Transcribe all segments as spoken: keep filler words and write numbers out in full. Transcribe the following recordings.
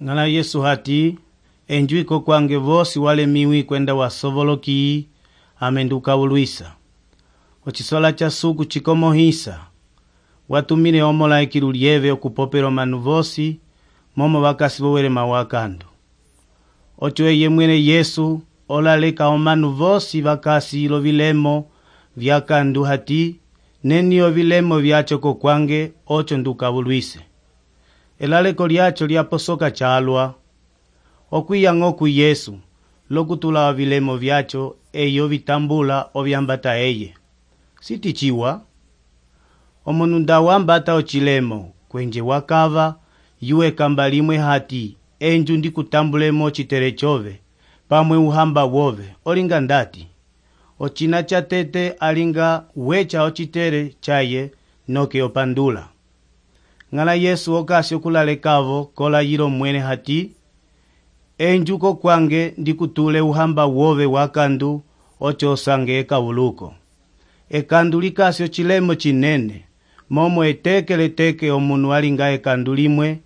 Ngala Yesu hati, enjuiko kwange vosi walemiwi kwenda wasovoloki, amenduka ulwisa. Ocisola cha suku chikomohisa, watumile omolaiki lulieve okupopela manu vosi, momo wakasi wowele mawakandu. Ocho eye mwene Yesu, olaleka omanu vosi wakasi ilo vilemo vyakandu hati, neniyo vilemo vyachoko kwange, ocho nduka ulwise. Elaleko liacho liaposoka chalwa, okwiya ngoku Yesu, lokutula wa vilemo vyacho, eyo vitambula ovyambata eye. Sitichiwa, omunu nda wambata ochilemo, kwenje wakava, yue kambalimwe hati, enju ndi kutambulemo chitere chove, pamwe uhamba wove, olinga ndati. Ochina cha tete alinga wecha ochitere chaye, noke opandula. Ngala Yesu okasi okulalekavo kola yiro mwene hati, enjuko kwange ndikutule uhamba wove wakandu, ocho osange eka uluko. Ekandu likasi ochilemo chinene, momo etekele teke omunu alinga ekandu limwe,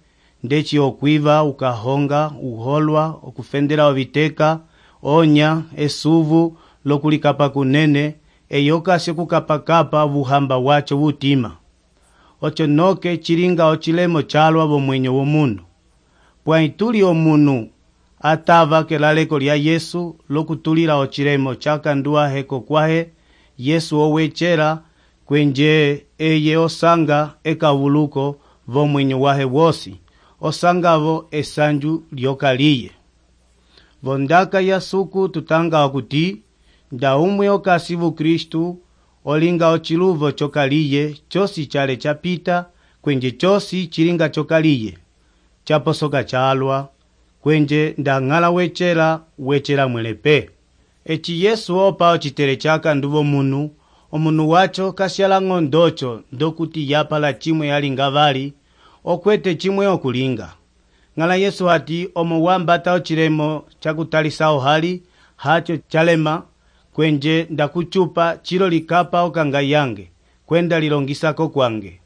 ndechi okwiva, ukahonga, uholwa, okufendela oviteka, onya, esuvu, lokulikapa kunene, eyokasi okukapakapa vuhamba wacho vutima. Ocho noke chilinga ochilemo chalwa bomwenyo womunu. Pwaituli omunu atava kelaleko lya Yesu lokutulila ochilemo chakandua heko kwahe, Yesu owechera kwenje eye osanga ekavuluko vomwenyo wahe wosi, osangavo esanju lyokaliye. Vondaka ya suku tutanga wakuti, nda umwe okasivu Kristu, olinga ochiluvo chokaliye, chosi chale chapita, kwenje chosi chilinga chokaliye, chaposoka chalwa, kwenje nda ngala wechera, wechera mwelepe. Echi Yesu opa ochitere chaka nduvo munu, omunu wacho kasyala ngondocho, ndokuti yapala chimwe yalinga vali, okwete chimwe okulinga. Ngala Yesu hati omo wambata ochilemo chakutalisa ohali, hacho chalema, kwenje ndakuchupa chilo likapa okanga yange, kwenda lilongisako kwange.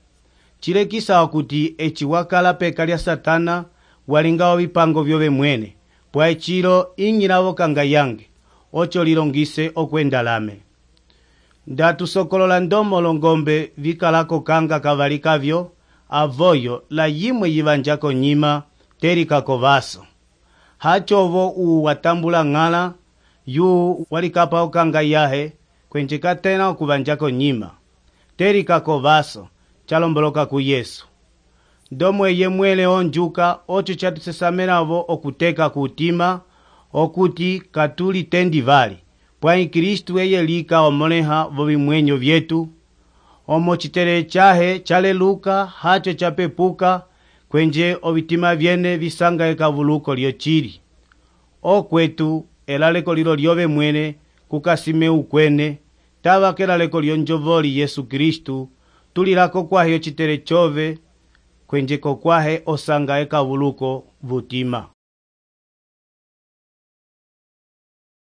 Chile kisa okuti echi wakala peka lya Satana, walinga vipango vyove mwene, pwa echilo ingila okanga yange, ocho lilongise okwenda lame. Ndatu sokolola ndomolo ngombe vikalako kanga kavalikavyo, avoyo la yimwe yivanjako nyima, terikako vaso. Hachovo uwatambula ngala, yu walikapa okanga yahe, kwenje katena okuvanjako nyima. Terikako vaso, chalomboloka ku Yesu. Ndomo eye mwele onjuka, ocho chatusesameravo okuteka kutima, okuti katuli tendi vali. Pwai Kristu eye lika omoleha vovimwenyo vyetu, omo chitere chahe chaleluka, hacho chapepuka, kwenje ovitima vyene visanga ekavuluko lyo chiri. Okwetu, elaleko lilo lyove mwene, kukasime ukwene, tava kelaleko lyonjovoli Yesu Kristu, tulilako kwahe chitere chove, kwenje kokwahe osanga ekavuluko vutima.